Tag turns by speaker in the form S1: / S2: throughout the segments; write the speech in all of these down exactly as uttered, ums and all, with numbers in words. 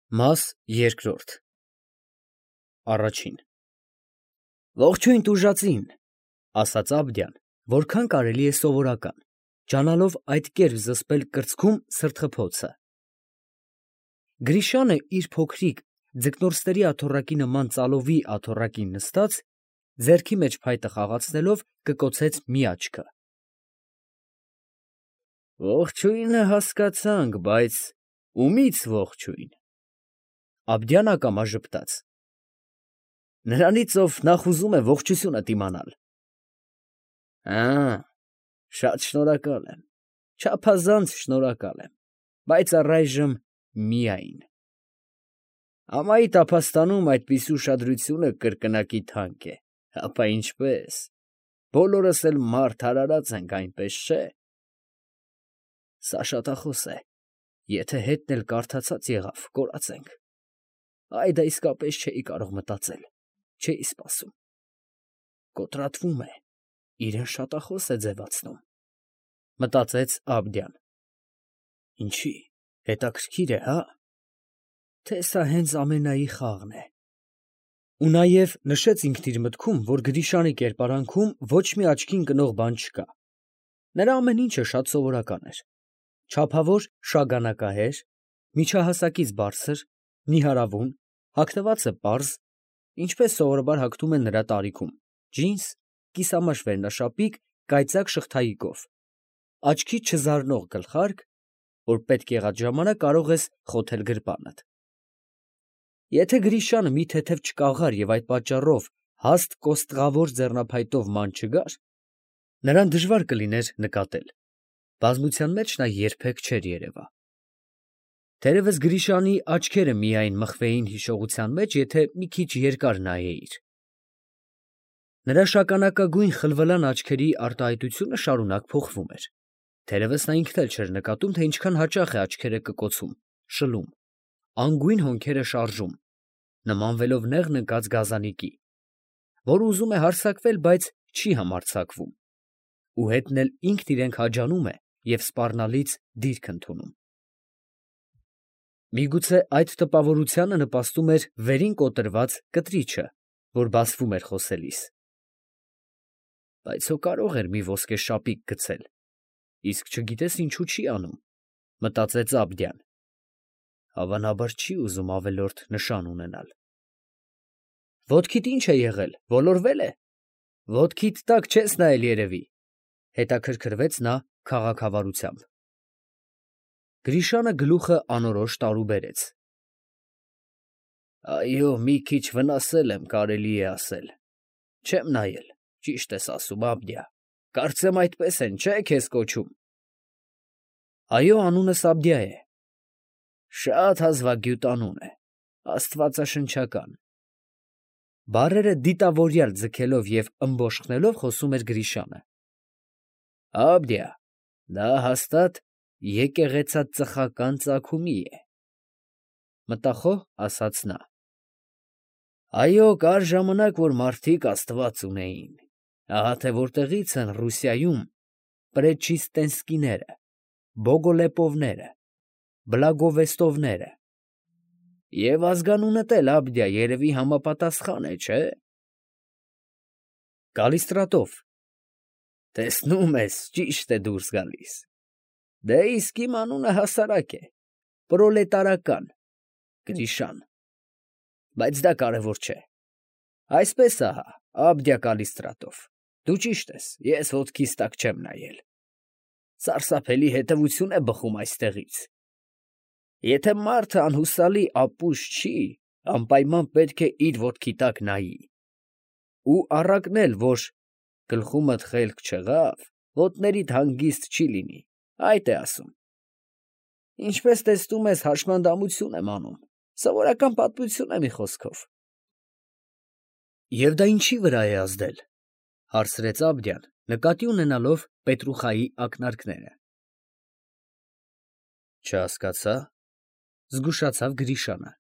S1: Մաս երկրորդ Առաջին Ողջույն տուժածին, ասաց Աբդյան, որքան կարելի է սովորական, ջանալով այդ կերպ զսպել կրծքում սրտխփոցը։ Գրիշանը իր փոքրիկ ձկնորսների աթոռակի նման ծալովի աթոռակին նստած, ձեռքի մեջ փայտը խաղացնելով կկոցեց մի աչքը։ Ողջույնը հասկացանք, բայց ումի՞ց ողջույն։ Աբդյան ակամա ժպտաց։ Նրանից, ով նախ ուզում է ողջությունդ իմանալ։ Ա, շատ շնորհակալ եմ, չափազանց շնորհակալ եմ, բայց առայժմ միայն։ Ամայի տափաստանում այդպիսի ուշադրությունը կրկնակի թանկ է, ապա ինչպես, բոլորս էլ մարդ արարած ենք, այնպես չէ։ Սա շատախոս է, եթե հետն էլ կարդացած եղավ, կորած ենք։ Այ դա իսկապես չէի կարող մտածել, չէի սպասում։ Կոտրատվում է, իրեն շատախոս է ձևացնում, մտածեց Աբդյան։ Ինչի, հետաքրքիր է, հա՞։ Թե սա հենց ամենայի խաղն է։ Ու նաև նշեց ինքն իր մտքում, որ Գրիշանի կերպարանքում ոչ մի աչքին ընկնող բան չկա։ Նրա ամեն ինչը շատ սովորական էր։ Չափավոր շագանակահեր, միջահասակից բարձր, նիհարավուն, հագնվածը պարզ, ինչպես սովորաբար հագնում են նրա տարիքում, ջինս, կիսամաշ վերնաշապիկ, կայծակ շղթայիկով, աչքի չզարնող գլխարկ, որ պետք եղած ժամանակ կարող ես խոթել գրպանդ։ Եթե Գրիշանը մի թեթև չկաղար և այդ պատճառով հաստ կոստղավոր ձեռնափայտով ման չգար, նրան դժվար կլիներ նկատել, բազմության մեջ նա երբեք չէր երևա։ Թերևս Գրիշանի աչքերը միայն մխվեին հիշողության մեջ, եթե մի քիչ երկար նայեիր։ Նրա շագանակագույն խլվլան աչքերի արտահայտությունը շարունակ փոխվում էր։ Թերևս նա ինքն էլ չէր նկատում, թե ինչքան հաճախ է աչքերը կկոցում, շլում, անգույն հոնքերը շարժում, նմանվելով նեղն ընկած գազանիկի, որ ուզում է հարձակվել, բայց չի համարձակվում, ու հետն էլ ինքն իրեն քաջանում է և սպառնալից դիրք ընդունում։ Միգուցե այդ տպավորությանը նպաստում էր վերին կոտրված կտրիչը, որ բացվում էր խոսելիս։ Բայց հո կարող էր մի ոսկե շապիկ գցել, իսկ չգիտես ինչու չի անում, մտածեց Աբդյան։ Հավանաբար չի ուզում ավելորդ նշան ունենալ։ Ոտքիդ ինչ է եղել, ոլորվել է։ Ոտքիդ տակ չես նայել երևի, հետաքրքրվեց նա քաղաքավարությամբ։ Գրիշանը գլուխը անորոշ տարուբերեց։ Այո, մի քիչ վնասել եմ, կարելի է ասել։ Չեմ նայել, ճիշտ ես ասում, Աբդյա, կարծեմ այդպես են, չէ՞ քեզ կոչում։ Այո, անունս Աբդյա է։ Շատ հազվագյուտ անուն է, աստվածաշնչական։ Բառերը դիտավորյալ ձգելով և ըմբոշխնելով խոսում էր Գրիշանը։ Աբդյա, դա հաստատ եկեղեցածխական ծագումի է, մտախոհ ասաց նա։ Այո, կար ժամանակ, որ մարդիկ աստված ունեին, ահա թե որտեղից են Ռուսիայում պրեչիստենսկիները, Բոգոլեպովները, Բլագովեստովները։ Եվ ազգանունդ էլ, Աբդյա, երևի համապատասխան է, չէ՞։ Կալիստրատով։ Տեսնում ես, ճիշտ է դուրս գալիս։ Դե իսկ իմ անունը հասարակ է, պրոլետարական, Գրիշան, բայց դա կարևոր չէ։ Այսպես ահա, Աբդյա Կալիստրատով, դու ճիշտ ես, ես ոտքիս տակ չեմ նայել։ Սարսափելի հետևություն է բխում այստեղից։ Եթե մարդը անհուսալի ապուշ չի, անպայման պետք է իր ոտքի տակ նայի։ Ու առակն էլ, որ գլխումդ խելք չեղավ, ոտներիդ հանգիստ չի լինի, այդ է ասում։ Ինչպես տեսնում ես, հաշմանդամություն եմ անում, սովորական պատմություն է մի խոսքով։ Եվ դա ինչի վրա է ազդել, հարցրեց Աբդյան, նկատի ունենալով Պետրուխայի ակնարկները։ Չհասկացա, զգուշացավ Գրիշանը։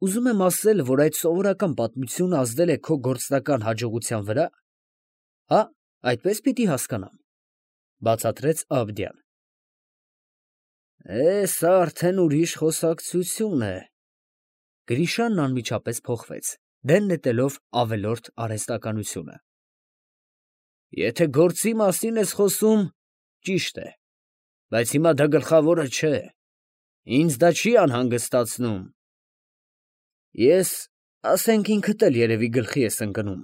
S1: Ուզում եմ ասել, որ այդ սովորական պատմությունը ազդել է քո գործնական հաջողության վրա։ Հա, այդպես պիտի հասկանամ, բացատրեց Աբդյան։ Է, սա արդեն ուրիշ խոսակցություն է։ Գրիշանն անմիջապես փոխվեց, դեն նետելով ավելորդ արհեստականությունը։ Եթե գործի մասին ես խոսում, ճիշտ է, բայց հիմա դա գլխավորը չէ, ինձ դա չի անհանգստացնում։ Ես, ասենք ինքդ էլ երևի գլխի ես ընկնում,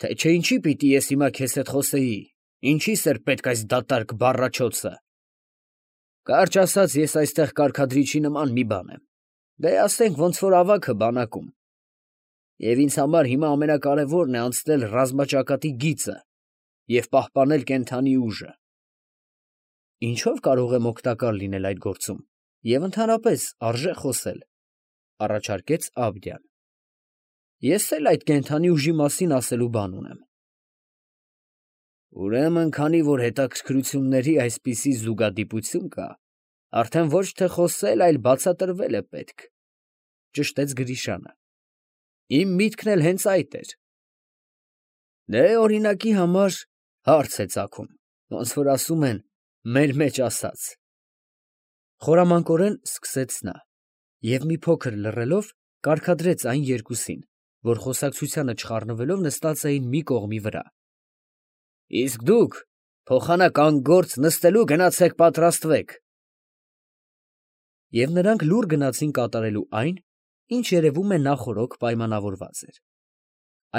S1: թե չէ ինչի պիտի ես հիմա քեզ հետ խոսեի, ինչիս էր պետք այս դատարկ բառաչոցը։ Կարճ ասած, ես այստեղ կարգադրիչի նման մի բան եմ, դե ասենք ոնց որ ավագը բանակում, և ինձ համար հիմա ամենակարևորն է անցնել ռազմաճակատի գիծը և պահպանել կենդանի ուժը։ Ինչո՞վ կարող եմ օգտակար լինել այդ գործում և ընդհանրապես արժե խոսել, առաջարկեց Աբդյան։ Ես էլ այդ կենդանի ուժի մասին ասելու բան ունեմ։ Ուրեմն, քանի որ հետաքրքրությունների այսպիսի զուգադիպություն կա, արդեն ոչ թե խոսել, այլ բացատրվել է պետք, ճշտեց Գրիշանը։ Իմ միտքն էլ հենց այդ էր։ Դե օրինակի համար հարց է ծագում, ոնց որ ասում են, մեր մեջ ասած։ Խորամանկորեն սկսեց նա և մի փոքր լռելով կարգադրեց այն երկուսին, որ խոսակցությանը չխառնվելով նստած էին մի կողմի վրա։ Իսկ դուք փոխանակ անգործ նստելու գնացեք պատրաստվեք։ Եվ նրանք լուռ գնացին կատարելու այն, ինչ երևում է նախօրոք պայմանավորված էր։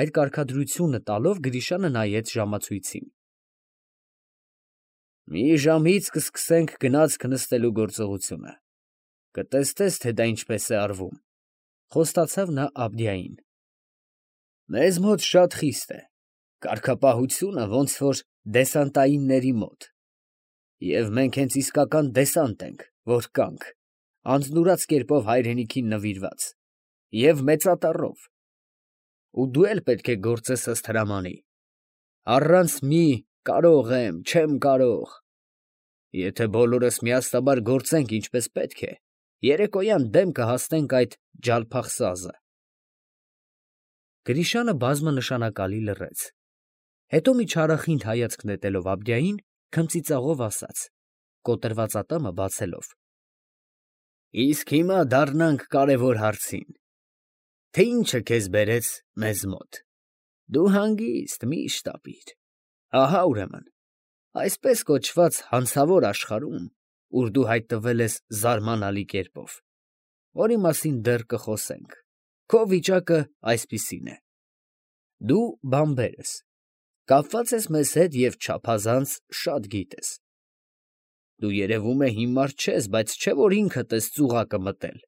S1: Այդ կարգադրությունը տալով Գրիշանը նայեց ժամացույցին։ Մի ժամից կսկսենք գնացք նստելու գործողությունը։ Կտեսնես, թե դա ինչպես է արվում, խոստացավ նա Աբդիային։ Մեզ մոտ շատ խիստ է, կարգապահությունը ոնց որ դեսանտայինների մոտ, և մենք հենց իսկական դեսանտ ենք, որ կանք, անձնուրաց կերպով հայրենիքին նվիրված, և մեծատառով, ու դու էլ պետք է գործես ըստ հրամանի, առանց մի կարող եմ, չեմ կարող, եթե բոլորս միասնաբար գործենք ինչպես պետք է, երեկոյան դեմ կհասնենք այդ ջալփախսազը։ Գրիշանը բազմանշանակալի լռեց, հետո մի չարախինդ հայացք նետելով Աբդիային, քմծիծաղով ասաց, կոտրված ատամը բացելով. Իսկ հիմա դառնանք կարևոր հարցին, թե ինչը քեզ բերեց մեզ մոտ։ Դու հանգիստ մի շտապիր, ահա ուրեմն, այսպես կոչված հանցավոր աշխարհում, ուր դու հայտնվել ես զարմանալի կերպով, որի մասին դեռ կխոսենք, քո վիճակը այսպիսին է. դու բանբեր ես, կապված ես մեզ հետ և չափազանց շատ գիտես։ Դու երևում է հիմար չես, բայց չէ որ ինքդ ես ծուղակը մտել,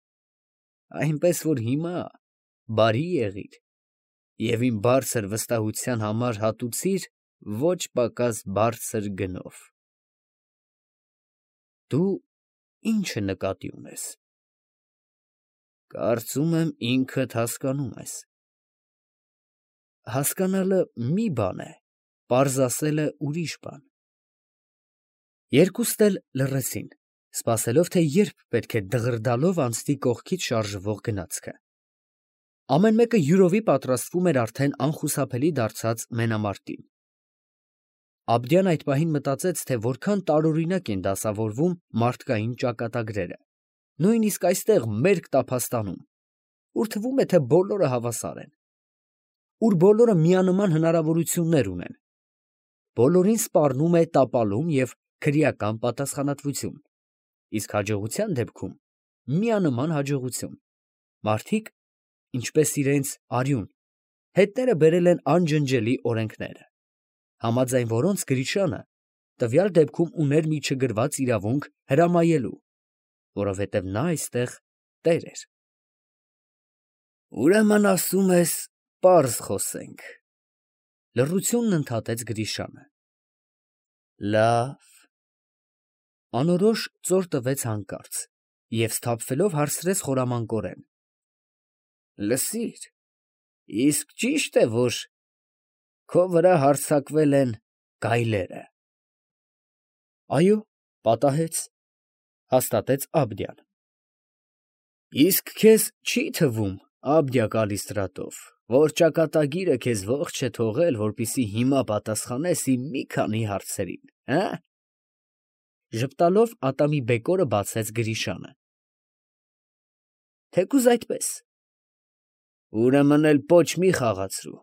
S1: այնպես որ հիմա բարի եղիր և իմ բարձր վստահության համար հատուցիր ոչ պակաս բարձր գնով։ Դու ի՞նչ նկատի ունես։ Կարծում եմ ինքդ հասկանում ես։ Հասկանալը մի բան է, պարզ ասելը ուրիշ բան։ Երկուստ էլ լռեցին, սպասելով, թե երբ պետք է դղրդալով անցնի կողքից շարժվող գնացքը։ Ամեն մեկը յուրովի պատրաստվում էր արդեն անխուսափելի դարձած մենամարտին։ Աբդյան այդ պահին մտածեց, թե որքան տարօրինակ են դասավորվում մարդկային ճակատագրերը, նույնիսկ այստեղ մերկ Տափաստանում, ուր թվում է, թե բոլորը հավասար են, ուր բոլորը միանման հնարավորություններ ունեն, բոլորին սպառնում է տապալում և քրեական պատասխանատվություն, իսկ հաջողության դեպքում միանման հաջողություն, մարդիկ, ինչպես իրենց արյուն, հետները բերել են անջնջելի օրենքները, համաձայն որոնց Գրիշանը տվյալ դեպքում ուներ մի չգրված իրավունք հրամայելու, որովհետև նա այստեղ տեր էր։ Ուրեմն ասում ես, պարզ խոսենք, լռությունն ընդհատեց Գրիշանը։ Լավ։ Անորոշ ծոր տվեց հանկարծ և սթափվելով հարցրեց խորամանկորեն. Լսիր, իսկ ճի՞շտ է, որ քո վրա հարձակվել են գայլերը։ Այո, պատահեց, հաստատեց Աբդյան։ Իսկ քեզ չի թվում, Աբդյա Կալիստրատով, որ ճակատագիրը քեզ ողջ է թողել, որպեսզի հիմա պատասխանես իմ մի քանի հարցերին, հը՞։ Ժպտալով ատամի բեկորը բացեց Գրիշանը։ Թեկուզ այդպես։ Ուրեմն էլ պոչ մի խաղացրու։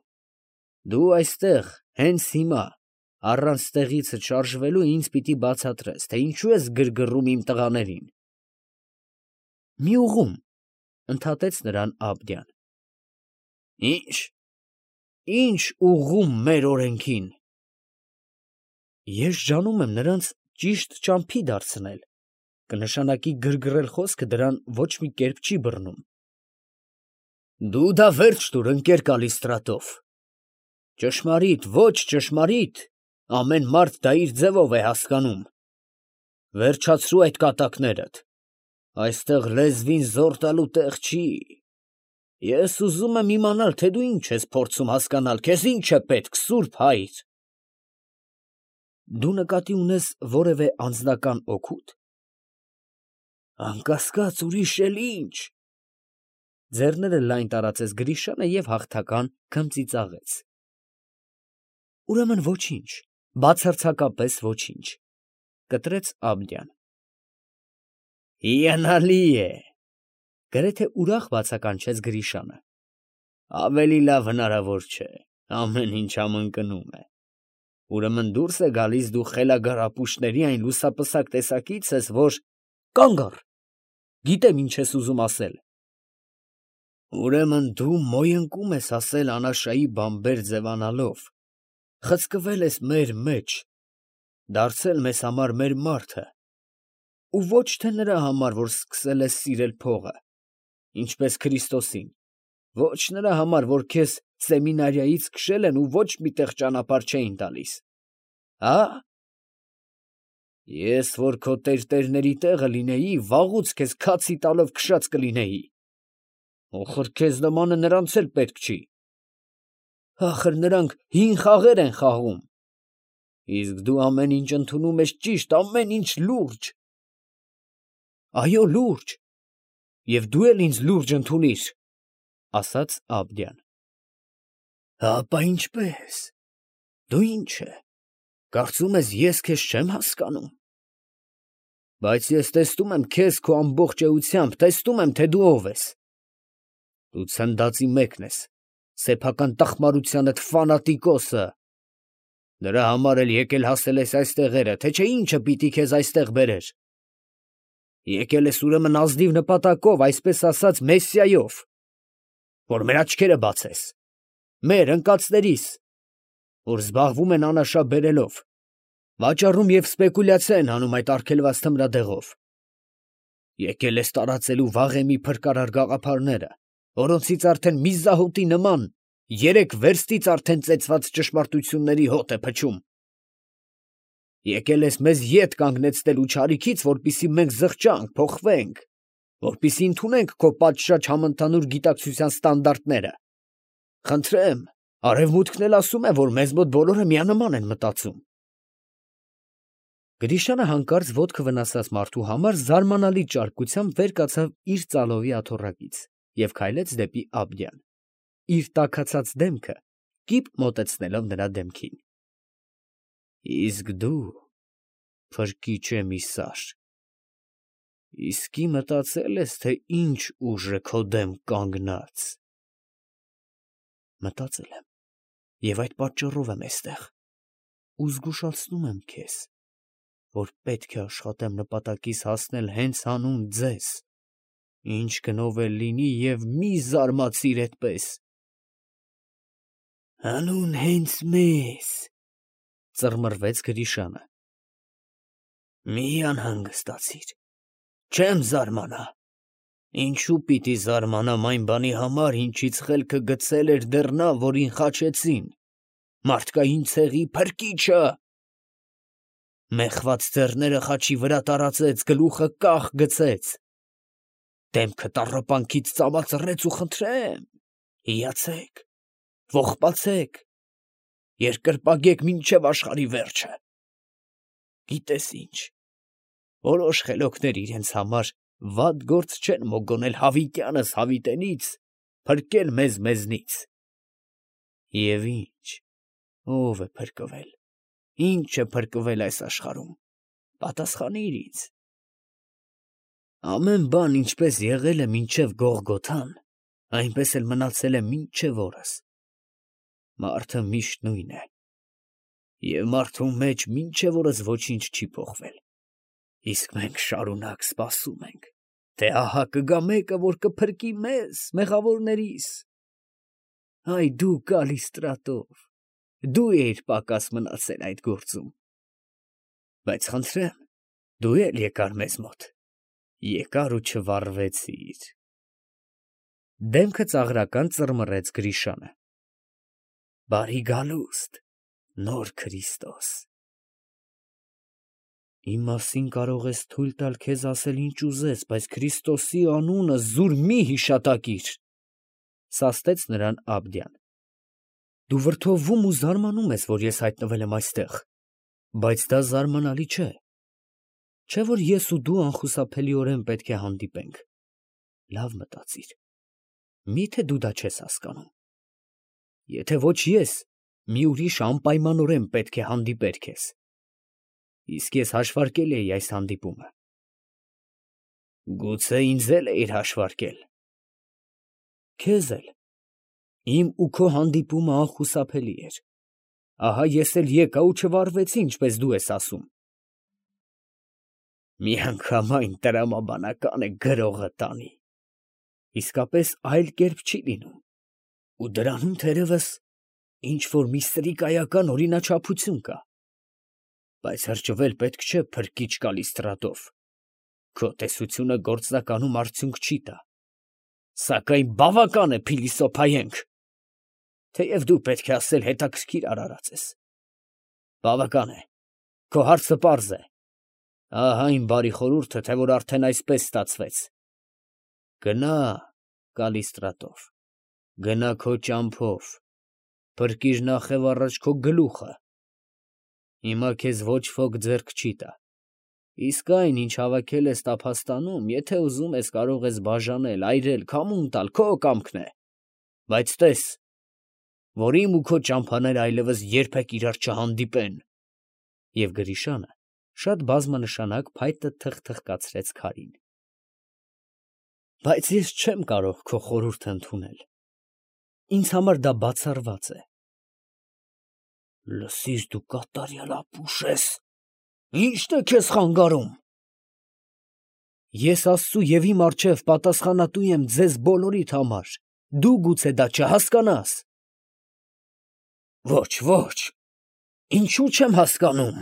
S1: Դու այստեղ, հենց հիմա, առանց տեղիցդ շարժվելու ինձ պիտի բացատրես, թե ինչու ես գրգռում իմ տղաներին։ Մի ուղում, ընդհատեց նրան Աբդյան։ Ինչ, ինչ ուղում մեր օրենքին։ Ես ջանում եմ նրանց ճիշտ ճամփի դարձնել, կնշանակի գրգռել խոսքը դրան ոչ մի կերպ չի բռնում։ Դու դա վերջ տուր, ընկեր Կալիստրատով։ Ճշմարիտ, ոչ ճշմարիտ, ամեն մարդ դա իր ձևով է հասկանում։ Վերջացրու այդ կատակներդ։ Այստեղ լեզվին զոռ տալու տեղ չի։ Ես ուզում եմ իմանալ, թե դու ինչ ես փորձում հասկանալ, քեզ ինչ է պետք, սուրբ հայր։ Դու նկատի ունես որևէ անձնական օգուտ։ Անկասկած ուրիշ էլ ինչ։ Ձեռները լայն տարածեց Գրիշանը և հաղթական քմծիծաղեց։ Ուրեմն ոչինչ, բացարձակապես ոչինչ, կտրեց Աբդյան։ Հիանալի է, գրեթե ուրախ բացականչեց Գրիշանը։ Ավելի լավ հնարավոր չէ, ամեն ինչ համընկնում է։ Ուրեմն դուրս է գալիս դու խելագար ապուշների այն լուսապսակ տեսակից ես, որ կանգ առ, գիտեմ ինչ ես ուզում ասել։ Ուրեմն դու մոյընկում ես ասել անաշայի բամբեր ձևանալով, խցկվել ես մեր մեջ, դարձել մեզ համար մեր մարդը, ու ոչ թե նրա համար, որ սկսել ես սիրել փողը, ինչպես Քրիստոսին, ոչ նրա համար, որ քեզ սեմինարիայից քշել են ու ոչ մի տեղ ճանապարհ չէին տալիս, հա՞։ Ես որ քո տերտերների տեղը լինեի, վաղուց քեզ քացի տալով քշած կլինեի։ Ոխր քեզ նմանը նրանց էլ պետք չի։ Ախր նրանք հին խաղեր են խաղում։ Իսկ դու ամեն ինչ ընդունում ես ճիշտ, ամեն ինչ լուրջ։ Այո, լուրջ։ Եվ դու էլ ինձ լուրջ ընդունիր, ասաց Աբդյան։ Հապա ինչպես։ Դու ինչ է։ Կարծում ես ես քեզ չեմ հասկանում։ Բայց ես տեսնում եմ քեզ քո ամբողջ էությամբ, տեսնում եմ, թե դու ով ես։ Դու ցնդածի մեկն ես, սեփական տխմարությանդ ֆանատիկոսը։ Դրա համար էլ եկել հասել ես այս տեղերը, թե չէ ինչը պիտի քեզ այստեղ բերեր։ Եկել ես ուրեմն ազնիվ նպատակով, այսպես ասած, մեսիայով, որ մեր աչքերը բացես, մեր ընկածներիս, որ զբաղվում են անաշա բերելով, վաճառում և սպեկուլյացիա են անում այդ արգելված թմրադեղով։ Եկել ես տարածելու վաղեմի փրկարար գաղափարները, որոնցից արդեն մի զահոտի նման երեք վերստից արդեն ծեծված ճշմարտությունների հոտ է փչում։ Եկել ես մեզ ետ կանգնեցնելու չարիքից, որպեսզի մենք զղջանք, փոխվենք, որպեսզի ընդունենք քո պատշաճ համընդհանուր գիտակցության ստանդարտները։ Խնդրեմ, արևմուտքն էլ ասում է, որ մեզ մոտ բոլորը միանման են մտածում։ Գրիշանը հանկարծ ոտքը վնասած մարդու համար զարմանալի ճարպկությամբ վեր կացավ իր ծալովի աթոռակից և քայլեց դեպի Աբդյան, իր տաքացած դեմքը կիպ մոտեցնելով նրա դեմքին։ Իսկ դու, փրկիչ էմիսար, իսկի մտածել ես, թե ինչ ուժ է քո դեմ կանգնած։ Մտածել եմ, և այդ պատճառով եմ էստեղ, ու զգուշացնում եմ քեզ, որ պետք է աշխատեմ նպատակիս հասնել հենց հանուն ձեզ, ինչ գնով էլ լինի և մի զարմացիր այդպես։ Հանուն հենց մեզ, ծռմռվեց Գրիշանը։ Մի անհանգստացիր, չեմ զարմանա։ Ինչու պիտի զարմանամ այն բանի համար, ինչից խելքը գցել էր դեռ նա, որին խաչեցին, մարդկային ցեղի փրկիչը։ Մեխված ձեռները խաչի վրա տարածեց, գլուխը կախ գցեց, դեմքը տառապանքից ծամածռեց ու խնդրեմ, հիացեք, ողբացեք, երկրպագեք մինչև աշխարհի վերջը։ Գիտես ինչ, որոշ խելոքներ իրենց համար վատ գործ չեն մոգոնել հավիտյանս հավիտենից, փրկել մեզ մեզնից։ Եվ ինչ, ով է փրկվել, ինչ է փրկվել այս աշխարհում, Պատասխանիր ինձ։ Ամեն բան ինչպես եղել է մինչև Գողգոթան, այնպես էլ մնացել է մինչև օրս։ Մարդը միշտ նույն է, և մարդու մեջ մինչև օրս ոչինչ չի փոխվել։ Իսկ մենք շարունակ սպասում ենք, թե ահա կգա մեկը, որ կփրկի մեզ, մեղավորներիս։ Այ դու Կալիստրատով, դու էիր պակաս մնացել այդ գործում։ Բայց խնդրեմ, դու էլ եկար մեզ մոտ, եկար ու չվառվեցիր։ Դեմքը ծաղրական ծռմռեց Գրիշանը։ Բարի գալուստ, նոր Քրիստոս։ Իմ մասին կարող ես թույլ տալ քեզ ասել ինչ ուզես, բայց Քրիստոսի անունը զուր մի հիշատակիր, սաստեց նրան Աբդյան։ Դու վրդովվում ու զարմանում ես, որ ես հայտնվել եմ այստեղ, բայց դա զարմանալի չէ։ Չէ՞ որ ես ու դու անխուսափելիորեն պետք է հանդիպենք։ Լավ մտածիր։ Միթե դու դա չես հասկանում։ Եթե ոչ ես, մի ուրիշ անպայմանորեն պետք է հանդիպեր քեզ։ Իսկ ես հաշվարկել էի այս հանդիպումը։ Գուցե ինձ էլ էիր հաշվարկել։ Քեզ էլ։ Իմ ու քո հանդիպումը անխուսափելի էր։ Ահա ես էլ եկա ու չվառվեցի, ինչպես դու ես ասում։ Միանգամայն տրամաբանական է գրողը տանի։ Իսկապես այլ կերպ չի լինում։ Ու դրանում թերևս ինչ-որ մի սրիկայական օրինաչափություն կա։ Բայց հրճվել պետք չէ Փրկիչ Կալիստրատով։ Քո տեսությունը գործնականում արդյունք չի տա։ Սակայն բավական է փիլիսոփայենք։ Թեև դու պետք է ասել հետաքրքիր արարած ես։ Բավական է։ Քո հարցը պարզ է։ Ահա իմ բարի խորհուրդը, թե որ արդեն այսպես ստացվեց։ Գնա, Կալիստրատով, գնա քո ճամփով, փրկիր նախև առաջ քո գլուխը։ Հիմա քեզ ոչ ոք ձեռք չի տա։ Իսկ այն, ինչ հավաքել ես տափաստանում, եթե ուզում ես, կարող ես բաժանել, այրել, քամուն տալ, քո կամքն է։ Բայց տես, որ իմ ու քո ճամփաները այլևս երբեք իրար չհանդիպեն։ Եվ Գրիշանը շատ բազմանշանակ փայտը թխթխկացրեց քարին։ Բայց ես չեմ կարող քո խորհուրդը ընդունել։ Ինձ համար դա բացառված է։ Լսիր, դու կատարյալ ապուշ ես։ Ի՞նչն է քեզ խանգարում։ Ես Աստծու և իմ առջև պատասխանատու եմ ձեզ բոլորիդ համար։ Դու գուցե դա չհասկանաս։ Ոչ, ոչ, ինչու չեմ հասկանում,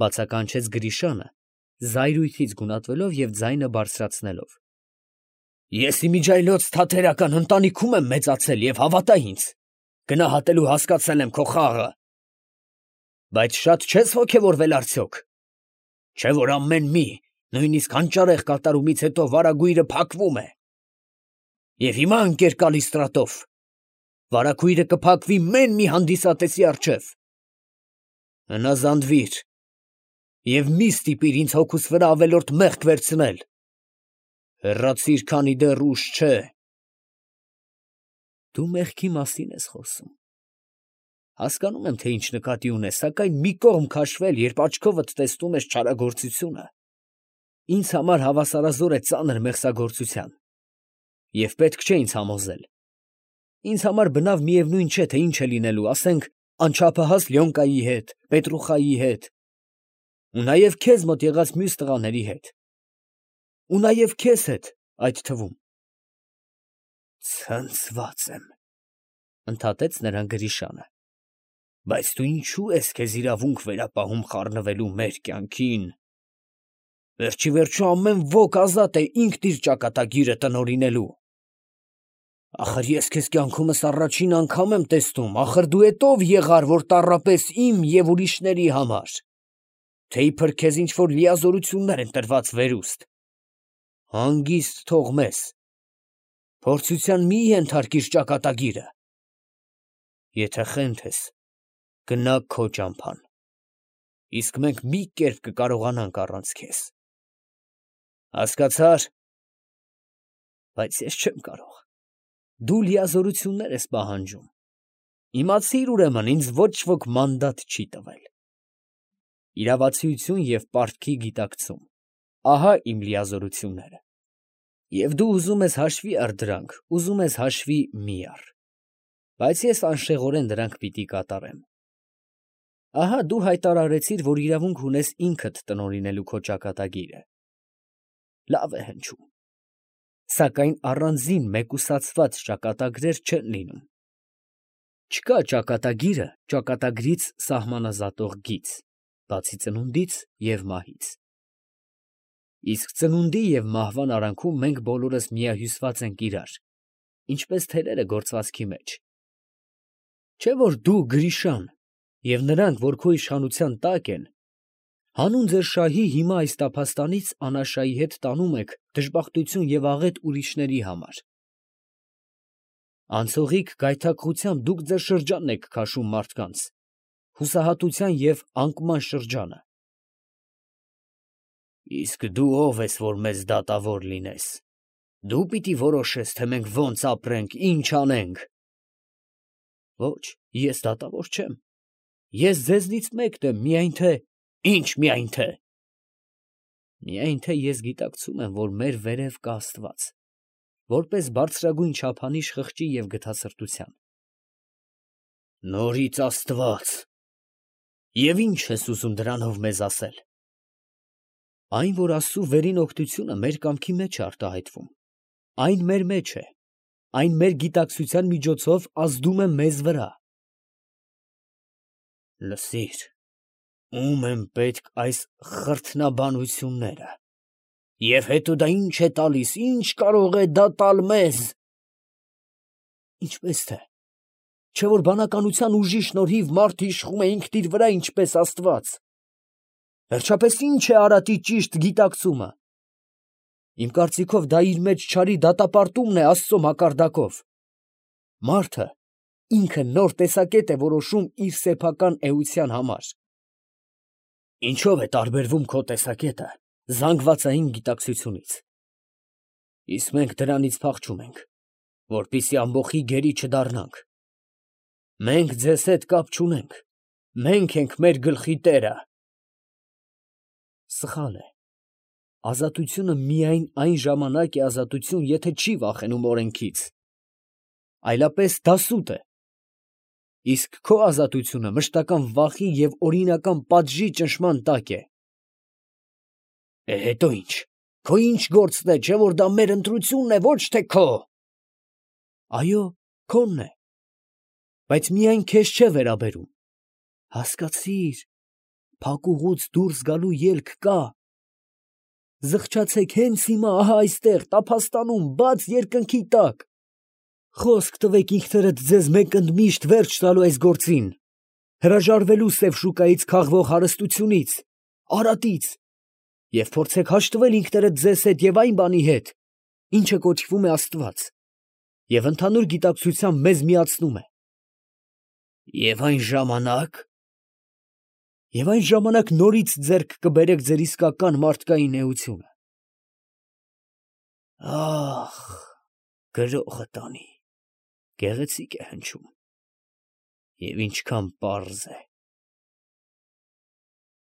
S1: բացականչեց Գրիշանը, զայրույթից գունատվելով և ձայնը բարձրացնելով։ Ես իմիջայլոց թատերական ընտանիքում եմ մեծացել և հավատա ինձ, գնահատելու հասկացել եմ քո խաղը։ Բայց շատ չես ոգևորվել արդյոք։ Չէ՞ որ ամեն մի, նույնիսկ հանճարեղ կատարումից հետո վարագույրը փակվում է։ Եվ հիմա, ընկեր Կալիստրատով, վարագույրը կփակվի մեն մի հանդիսատեսի առջև։ Հնազանդվիր և մի ստիպիր ինձ հոգուս վրա ավելորդ մեղք վերցնել։ Հեռացիր, քանի դեռ ուշ չէ։ Դու մեղքի մասին ես խոսում։ Հասկանում եմ, թե ինչ նկատի ունես, սակայն մի կողմ քաշվել, երբ աչքովդ տեսնում ես չարագործությունը, ինձ համար հավասարազոր է ծանր մեղսագործության։ Եվ պետք չէ ինձ համոզել։ Ինձ համար բնավ միևնույն չէ, թե ինչ է լինելու, ասենք, անչափահաս Լյոնկայի հետ, Պետրուխայի հետ, ու նաև քեզ մոտ եղած մյուս տղաների հետ, ու նաև քեզ հետ այդ թվում։ Ցնցված եմ, ընդհատեց նրան Գրիշանը։ Բայց դու ինչու ես քեզ իրավունք վերապահում խառնվելու մեր կյանքին։ Վերջի վերջո ամեն ոք ազատ է ինքն իր ճակատագիրը տնօրինելու։ Ախր ես քեզ կյանքումս առաջին անգամ եմ տեսնում, ախր դու էդ ով եղար, որ տառապես իմ և ուրիշների համար, թե իբր քեզ ինչ-որ լիազորություններ են տրված վերուստ։ Հանգիստ թող մեզ, փորձության մի ենթարկիր ճակատագիրը։ Եթե խենթ ես, գնա քո ճամփան, իսկ մենք մի կերպ կկարողանանք առանց քեզ։ Հասկացա՞ր։ Բայց ես չեմ կարող։ Դու լիազորություններ ես պահանջում։ Իմացիր ուրեմն, ինձ ոչ ոք մանդատ չի տվել։ իրավացիություն և պարտքի գիտակցում, ահա իմ լիազորությունները, և դու ուզում ես հաշվի առ դրանք, ուզում ես հաշվի մի առ, բայց ես անշեղորեն դրանք պիտի կատարեմ։ Ահա դու հայտարարեցիր, որ իրավունք ունես ինքդ տնօրինելու քո ճակատագիրը։ Լավ է հնչում, սակայն առանձին մեկուսացված ճակատագրեր չեն լինում։ Չկա ճակատագիրը ճակատագրից սահմանազատող գիծ, բացի ծնունդից և մահից։ Իսկ ծնունդի և մահվան արանքում մենք բոլորս միահյուսված ենք իրար, ինչպես թելերը գործվածքի մեջ։ Չէ՞ որ դու, Գրիշան, և նրանք, որ քո իշխանության տակ են, հանուն ձեր շահի հիմա այս տափաստանից անաշայի հետ տանում եք դժբախտություն և աղետ ուրիշների համար։ Անցողիկ գայթակղությամբ դուք ձեր շրջանն եք քաշում մարդկանց, հուսահատության և անկման շրջանը։ Իսկ դու ո՞վ ես, որ մեզ դատավոր լինես։ Դու պիտի որոշես, թե մենք ո՞նց ապրենք, ի՞նչ անենք։ Ոչ, ես դատավոր չեմ։ Ես ձեզնից մեկն եմ, միայն թե… Ի՞նչ միայն թե… Միայն թե ես գիտակցում եմ, որ մեր վերև կա Աստված, որպես բարձրագույն չափանիշ խղճի և գթասրտության։ Նորից Աստված… Եվ ի՞նչ ես ուզում դրանով մեզ ասել։ Այն, որ Աստծու վերին օգնությունը մեր կամքի մեջ է արտահայտվում, այն մեր մեջ է, այն մեր գիտակցության միջոցով ազդում է մեզ վրա։ Լսիր, ո՞ւմ են պետք այս խրթնաբանությունները, և հետո դա ի՞նչ է տալիս, ի՞նչ կարող է դա տալ մեզ։ Ինչպես թե, չէ՞ որ բանականության ուժի շնորհիվ մարդ իշխում է ինքն իր վրա, ինչպես Աստված։ Վերջապես ի՞նչ է արատի ճիշտ գիտակցումը։ Իմ կարծիքով դա իր մեջ չարի դատապարտումն է Աստծու մակարդակով։ Մարդը ինքը նոր տեսակետ է որոշում իր սեփական էության համար։ Ինչո՞վ է տարբերվում քո տեսակետը զանգվածային գիտակցությունից։ Իսկ մենք դրանից փախչում ենք, որպեսզի ամբոխի գերի չդառնանք։ Մենք ձեզ հետ կապ չունենք, մենք ենք մեր գլխի տերը։ Սխալ է։ Ազատությունը միայն այն ժամանակ է ազատություն, եթե չի վախենում օրենքից, այլապես դասուտ է։ Իսկ քո ազատությունը մշտական վախի և օրինական պատժի ճնշման տակ է։ Է, հետո ի՞նչ, քո ի՞նչ գործն է, չէ՞ որ դա մեր ընտրությունն է, ոչ թե քո։ Այո, քոնն է, բայց միայն քեզ չէ վերաբերում։ Հասկացի՛ր, փակուղուց դուրս գալու ելք կա։ Զղջացեք հենց հիմա, ահա այստեղ, տափաստանում, բաց երկնքի տակ։ Խոսք տվեք ինքներդ ձեզ մեկ ընդմիշտ վերջ տալու այս գործին, հրաժարվելու սև շուկայից քաղվող հարստությունից, արատից, և փորձեք հաշտվել ինքներդ ձեզ հետ և այն բանի հետ, ինչը կոչվում է Աստված, և ընդհանուր գիտակցությամբ մեզ միացնում է։ Եվ այն ժամանա՞կ… Եվ այն ժամանակ նորից ձեռք կբերեք ձեր իսկական մարդկային էությունը։ Ա՜խ, գրողը տանի, գեղեցիկ է հնչում, և ինչքան պարզ է։